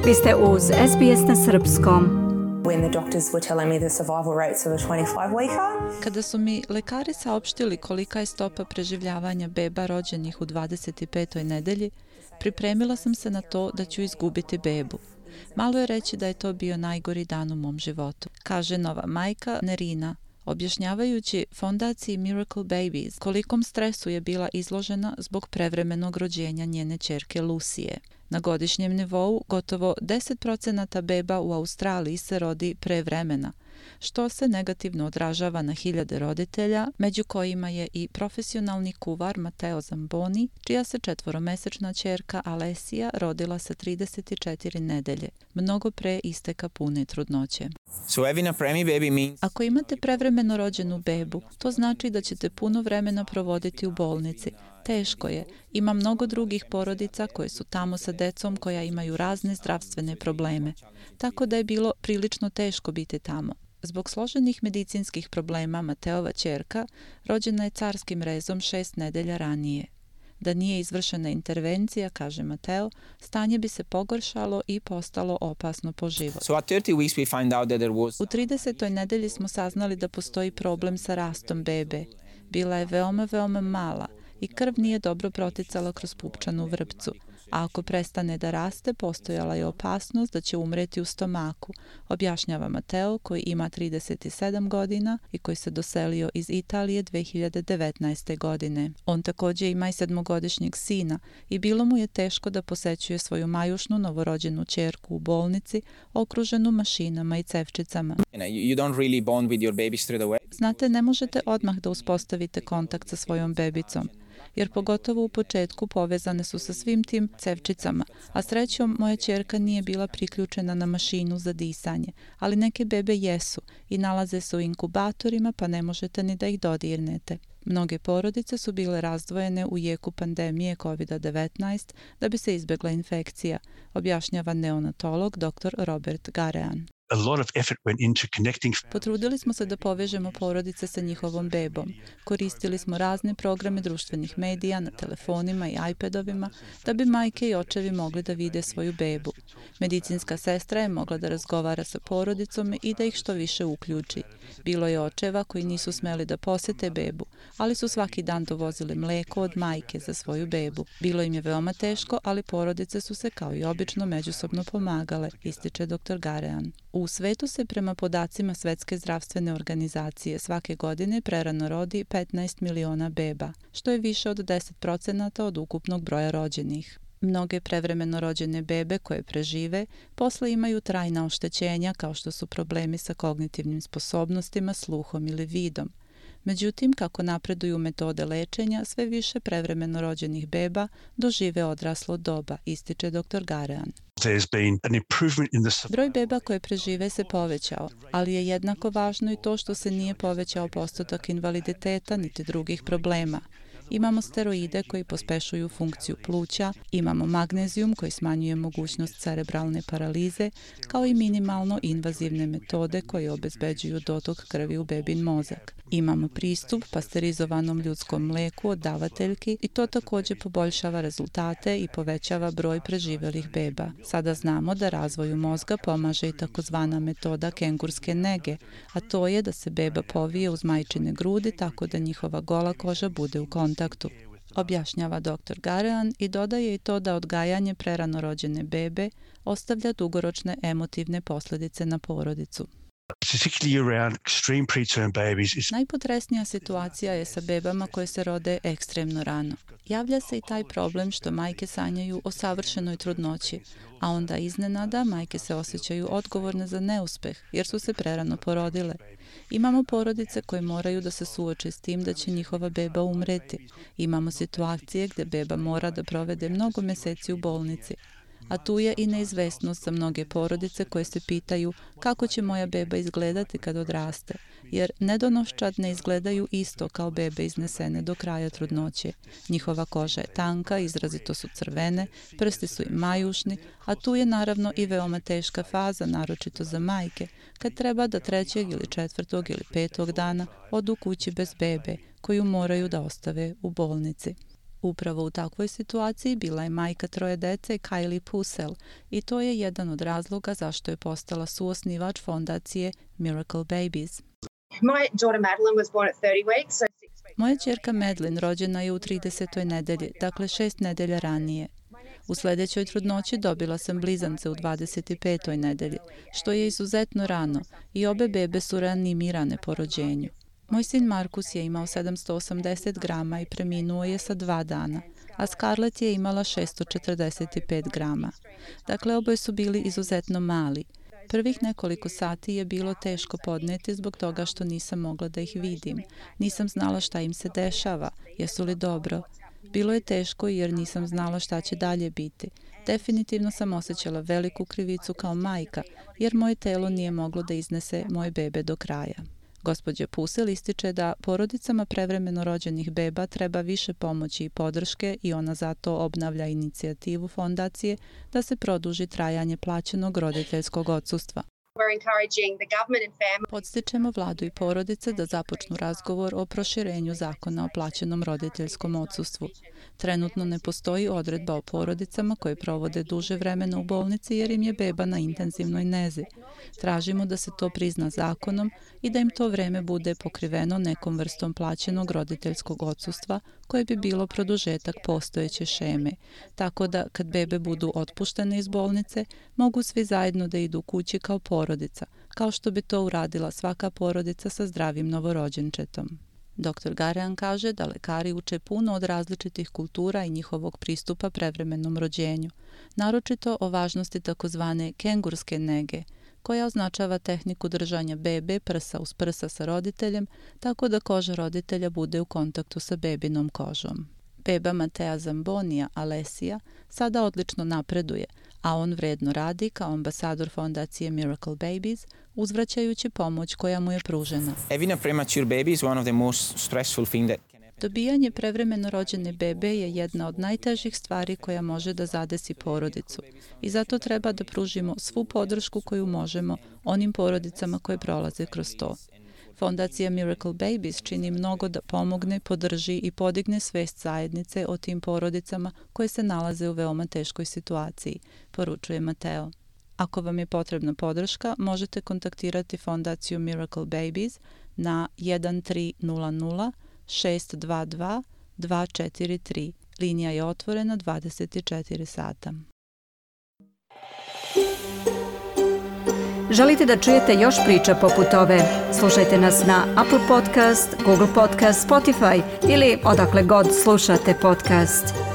Vi ste uz SBS na srpskom. When the doctors were telling me the survival rates of a 25-weeker. Kada su mi lekari saopštili kolika je stopa preživljavanja beba rođenih u 25. nedelji, pripremila sam se na to da ću izgubiti bebu. Malo je reći da je to bio najgori dan u mom životu, kaže nova majka Nerina, objašnjavajući fondaciji Miracle Babies kolikom stresu je bila izložena zbog prevremenog rođenja njene ćerke Lucije. Na godišnjem nivou gotovo 10% beba u Australiji se rodi pre vremena, što se negativno odražava na hiljade roditelja, među kojima je i profesionalni kuvar Matteo Zamboni, čija se 4-mesečna ćerka Alessia rodila sa 34 nedelje, mnogo pre isteka pune trudnoće. Ako imate prevremeno rođenu bebu, to znači da ćete puno vremena provoditi u bolnici. Teško je. Ima mnogo drugih porodica koje su tamo sa decom koja imaju razne zdravstvene probleme. Tako da je bilo prilično teško biti tamo. Zbog složenih medicinskih problema Mateova ćerka rođena je carskim rezom 6 nedelja ranije. Da nije izvršena intervencija, kaže Mateo, stanje bi se pogoršalo i postalo opasno po život. U 30. nedelji smo saznali da postoji problem sa rastom bebe. Bila je veoma mala i krv nije dobro proticala kroz pupčanu vrpcu, a ako prestane da raste, postojala je opasnost da će umreti u stomaku, objašnjava Mateo, koji ima 37 godina i koji se doselio iz Italije 2019. godine. On također ima i 7-godišnjeg sina i bilo mu je teško da posećuje svoju majušnu novorođenu ćerku u bolnici, okruženu mašinama i cevčicama. Znate, ne možete odmah da uspostavite kontakt sa svojom bebicom, jer pogotovo u početku povezane su sa svim tim cevčicama, a srećom moja ćerka nije bila priključena na mašinu za disanje, ali neke bebe jesu i nalaze se u inkubatorima pa ne možete ni da ih dodirnete. Mnoge porodice su bile razdvojene u jeku pandemije COVID-19 da bi se izbjegla infekcija, objašnjava neonatolog dr. Robert Garean. Potrudili smo se da povežemo porodice sa njihovom bebom. Koristili smo razne programe društvenih medija na telefonima i iPadovima da bi majke i očevi mogli da vide svoju bebu. Medicinska sestra je mogla da razgovara sa porodicom i da ih što više uključi. Bilo je očeva koji nisu smeli da posete bebu, ali su svaki dan dovozili mleko od majke za svoju bebu. Bilo im je veoma teško, ali porodice su se kao i obično međusobno pomagale, ističe dr. Garean. U svetu se prema podacima Svetske zdravstvene organizacije svake godine prerano rodi 15 miliona beba, što je više od 10% od ukupnog broja rođenih. Mnoge prevremeno rođene bebe koje prežive posle imaju trajna oštećenja kao što su problemi sa kognitivnim sposobnostima, sluhom ili vidom. Međutim, kako napreduju metode lečenja, sve više prevremeno rođenih beba dožive odraslo doba, ističe dr. Garean. Broj beba koje prežive se povećao, ali je jednako važno i to što se nije povećao postotak invaliditeta niti drugih problema. Imamo steroide koji pospešuju funkciju pluća, imamo magnezijum koji smanjuje mogućnost cerebralne paralize, kao i minimalno invazivne metode koje obezbeđuju dotok krvi u bebin mozak. Imamo pristup pasterizovanom ljudskom mleku od davateljki i to također poboljšava rezultate i povećava broj preživelih beba. Sada znamo da razvoju mozga pomaže i takozvana metoda kengurske nege, a to je da se beba povije uz majčine grudi tako da njihova gola koža bude u kontaktu. Objašnjava dr. Garean i dodaje i to da odgajanje prerano rođene bebe ostavlja dugoročne emotivne posljedice na porodicu. Najpotresnija situacija je sa bebama koje se rode ekstremno rano. Javlja se i taj problem što majke sanjaju o savršenoj trudnoći, a onda iznenada majke se osjećaju odgovorne za neuspeh jer su se prerano porodile. Imamo porodice koje moraju da se suoče s tim da će njihova beba umreti. Imamo situacije gdje beba mora da provede mnogo meseci u bolnici. A tu je i neizvesnost za mnoge porodice koje se pitaju kako će moja beba izgledati kad odraste, jer nedonoščad ne izgledaju isto kao bebe iznesene do kraja trudnoće. Njihova koža je tanka, izrazito su crvene, prsti su im majušni, a tu je naravno i veoma teška faza, naročito za majke, kad treba da 3. ili 4. ili 5. dana odu kući bez bebe, koju moraju da ostave u bolnici. Upravo u takvoj situaciji bila je majka 3 dece Kylie Pucel i to je jedan od razloga zašto je postala suosnivač fondacije Miracle Babies. Moja ćerka Madeline rođena je u 30. nedelji, dakle 6 nedelja ranije. U sljedećoj trudnoći dobila sam blizance u 25. nedelji, što je izuzetno rano i obe bebe su reanimirane po rođenju. Moj sin Markus je imao 780 grama i preminuo je sa 2 dana, a Scarlett je imala 645 grama. Dakle, oboje su bili izuzetno mali. Prvih nekoliko sati je bilo teško podneti zbog toga što nisam mogla da ih vidim. Nisam znala šta im se dešava, jesu li dobro. Bilo je teško jer nisam znala šta će dalje biti. Definitivno sam osjećala veliku krivicu kao majka, jer moje telo nije moglo da iznese moje bebe do kraja. Gospođa Pucel ističe da porodicama prevremeno rođenih beba treba više pomoći i podrške i ona zato obnavlja inicijativu fondacije da se produži trajanje plaćenog roditeljskog odsustva. Podstičemo vladu i porodice da započnu razgovor o proširenju zakona o plaćenom roditeljskom odsustvu. Trenutno ne postoji odredba o porodicama koje provode duže vremena u bolnici jer im je beba na intenzivnoj nezi. Tražimo da se to prizna zakonom i da im to vreme bude pokriveno nekom vrstom plaćenog roditeljskog odsustva koje bi bilo produžetak postojeće šeme. Tako da kad bebe budu otpuštene iz bolnice, mogu svi zajedno da idu kući kao porodica, kao što bi to uradila svaka porodica sa zdravim novorođenčetom. Dr. Garean kaže da lekari uče puno od različitih kultura i njihovog pristupa prevremenom rođenju, naročito o važnosti takozvane kengurske nege, koja označava tehniku držanja bebe prsa uz prsa sa roditeljem, tako da koža roditelja bude u kontaktu sa bebinom kožom. Beba Matea Zambonija, Alessia, sada odlično napreduje, a on vredno radi kao ambasador fondacije Miracle Babies, uzvraćajući pomoć koja mu je pružena. Dobijanje prevremeno rođene bebe je jedna od najtežih stvari koja može da zadesi porodicu i zato treba da pružimo svu podršku koju možemo onim porodicama koje prolaze kroz to. Fondacija Miracle Babies čini mnogo da pomogne, podrži i podigne svest zajednice o tim porodicama koje se nalaze u veoma teškoj situaciji, poručuje Mateo. Ako vam je potrebna podrška, možete kontaktirati fondaciju Miracle Babies na 1300 622 243. Linija je otvorena 24 sata. Želite da čujete još priča poput ove? Slušajte nas na Apple Podcast, Google Podcast, Spotify ili odakle god slušate podcast.